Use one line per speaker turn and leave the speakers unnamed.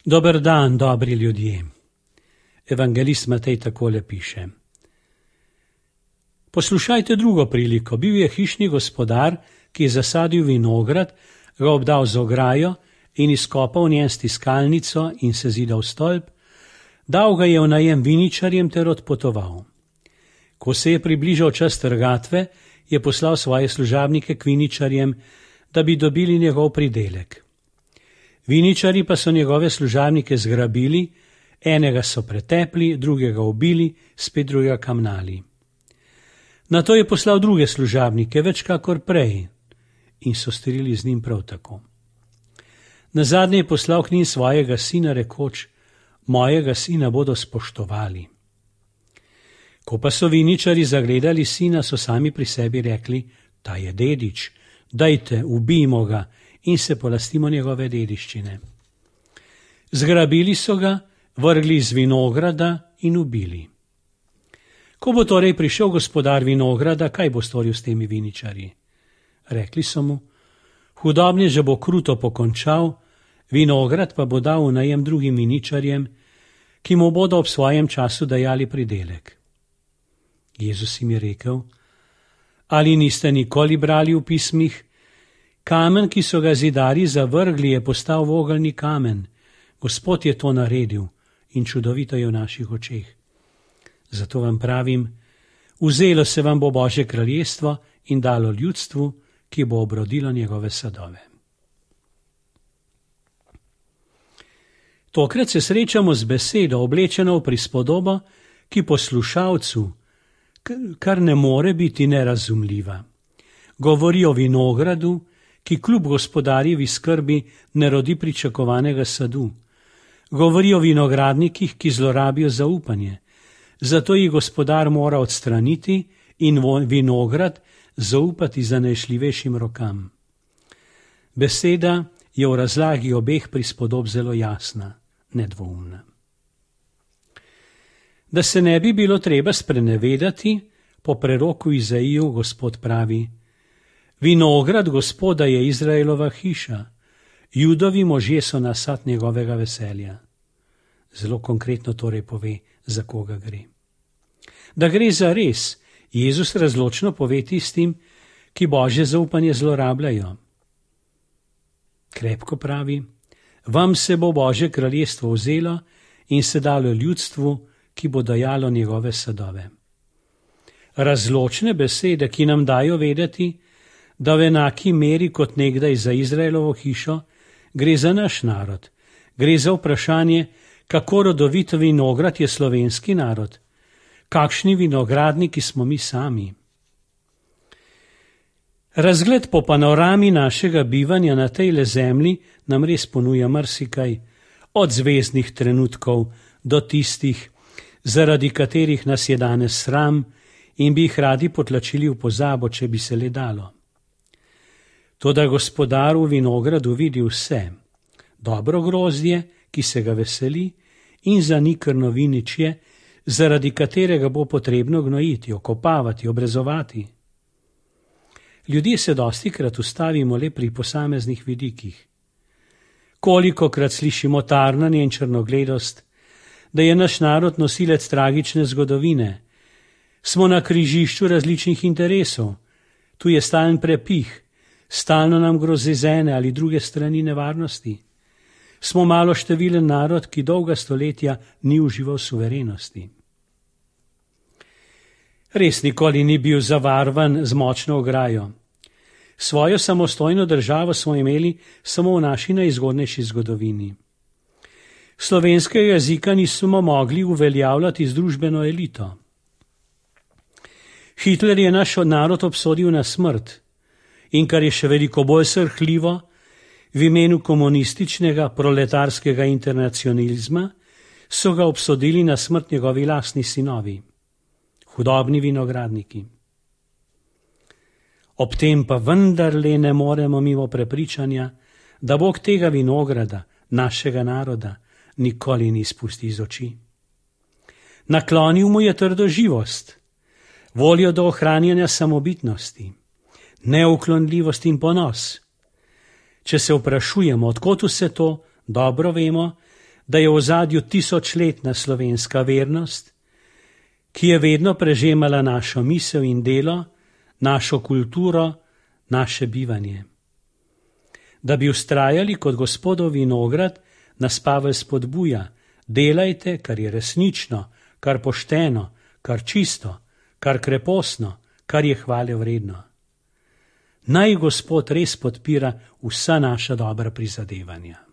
Dober dan, dobri ljudje. Evangelist Matej takole piše. Poslušajte drugo priliko. Bil je hišni gospodar, ki je zasadil vinograd, ga obdal z ograjo in izkopal v njem stiskalnico in se zidal stolp, dal ga je v najem viničarjem ter odpotoval. Ko se je približal čas trgatve, je poslal svoje služabnike k viničarjem, da bi dobili njegov pridelek. Viničarji pa so njegove služabnike zgrabili, enega so pretepli, drugega ubili, spet drugega kamnali. Nato je poslal druge služabnike, več kakor prej, in so storili z njim prav tako. Nazadnje je poslal k njim svojega sina, rekoč: mojega sina bodo spoštovali. Ko pa so viničarji zagledali sina, so sami pri sebi rekli: ta je dedič, dajte, ubijmo ga in se polastimo njegove dediščine. Zgrabili so ga, vrgli iz vinograda in ubili. Ko bo torej prišel gospodar vinograda, kaj bo storil s temi viničarji? Rekli so mu: hudobneža bo kruto pokončal, vinograd pa bo dal v najem drugim viničarjem, ki mu bodo ob svojem času dajali pridelek. Jezus jim je rekel: ali niste nikoli brali v pismih? Kamen, ki so ga zidarji zavrgli, je postal vogelni kamen. Gospod je to naredil in čudovito je v naših očeh. Zato vam pravim, vzelo se vam bo Božje kraljestvo in dalo ljudstvu, ki bo obrodilo njegove sadove. Tokrat se srečamo z besedo, oblečeno v prispodobo, ki poslušalcu kar ne more biti nerazumljiva. Govori o vinogradu, ki kljub gospodarjevi skrbi ne rodi pričakovanega sadu. Govori o vinogradnikih, ki zlorabijo zaupanje. Zato jih gospodar mora odstraniti in vinograd zaupati zanešljivejšim rokam. Beseda je v razlagi obeh prispodob zelo jasna, nedvoumna. Da se ne bi bilo treba sprenevedati, po preroku Izaiju Gospod pravi: vinograd Gospoda je Izraelova hiša, Judovi možje so nasad njegovega veselja. Zelo konkretno torej pove, za koga gre. Da gre za res, Jezus razločno pove tistim, ki Božje zaupanje zlorabljajo. Krepko pravi: vam se bo Božje kraljestvo vzelo in se dalo ljudstvu, ki bo dajalo njegove sadove. Razločne besede, ki nam dajo vedeti, da v enaki meri kot nekdaj za Izraelovo hišo gre za naš narod. Gre za vprašanje, kako rodovit vinograd je slovenski narod, kakšni vinogradniki smo mi sami. Razgled po panorami našega bivanja na tejle zemlji nam res ponuja marsikaj, od zvezdnih trenutkov do tistih, zaradi katerih nas je danes sram in bi jih radi potlačili v pozabo, če bi se le dalo. Toda gospodar v vinogradu vidi vse, dobro grozdje, ki se ga veseli, in zanikrno viničje, zaradi katerega bo potrebno gnojiti, okopavati, obrezovati. Ljudje se dostikrat ustavimo le pri posameznih vidikih. Kolikokrat slišimo tarnanje in črnogledost, da je naš narod nosilec tragične zgodovine. Smo na križišču različnih interesov, tu je stalen prepih, stalno nam grozi z ene ali druge strani nevarnosti. Smo malo številen narod, ki dolga stoletja ni užival suverenosti. Res nikoli ni bil zavarvan z močno ograjo. Svojo samostojno državo smo imeli samo v naši najzgodnejši zgodovini. Slovenskega jezika nismo mogli uveljavljati z družbeno elito. Hitler je naš narod obsodil na smrt in, kar je še veliko bolj srhljivo, v imenu komunističnega proletarskega internacionalizma so ga obsodili na smrt njegovi lastni sinovi, hudobni vinogradniki. Ob tem pa vendarle ne moremo mimo prepričanja, da Bog tega vinograda, našega naroda, nikoli ni izpustil iz oči. Naklonil mu je trdoživost, voljo do ohranjanja samobitnosti, neuklonljivost in ponos. Če se vprašujemo, odkot vse to, dobro vemo, da je v ozadju tisočletna slovenska vernost, ki je vedno prežemala našo misel in delo, našo kulturo, naše bivanje. Da bi vztrajali kot Gospodov vinograd, nas Pavel spodbuja: delajte, kar je resnično, kar pošteno, kar čisto, kar kreposno, kar je hvale vredno. Naj Gospod res podpira vsa naša dobra prizadevanja.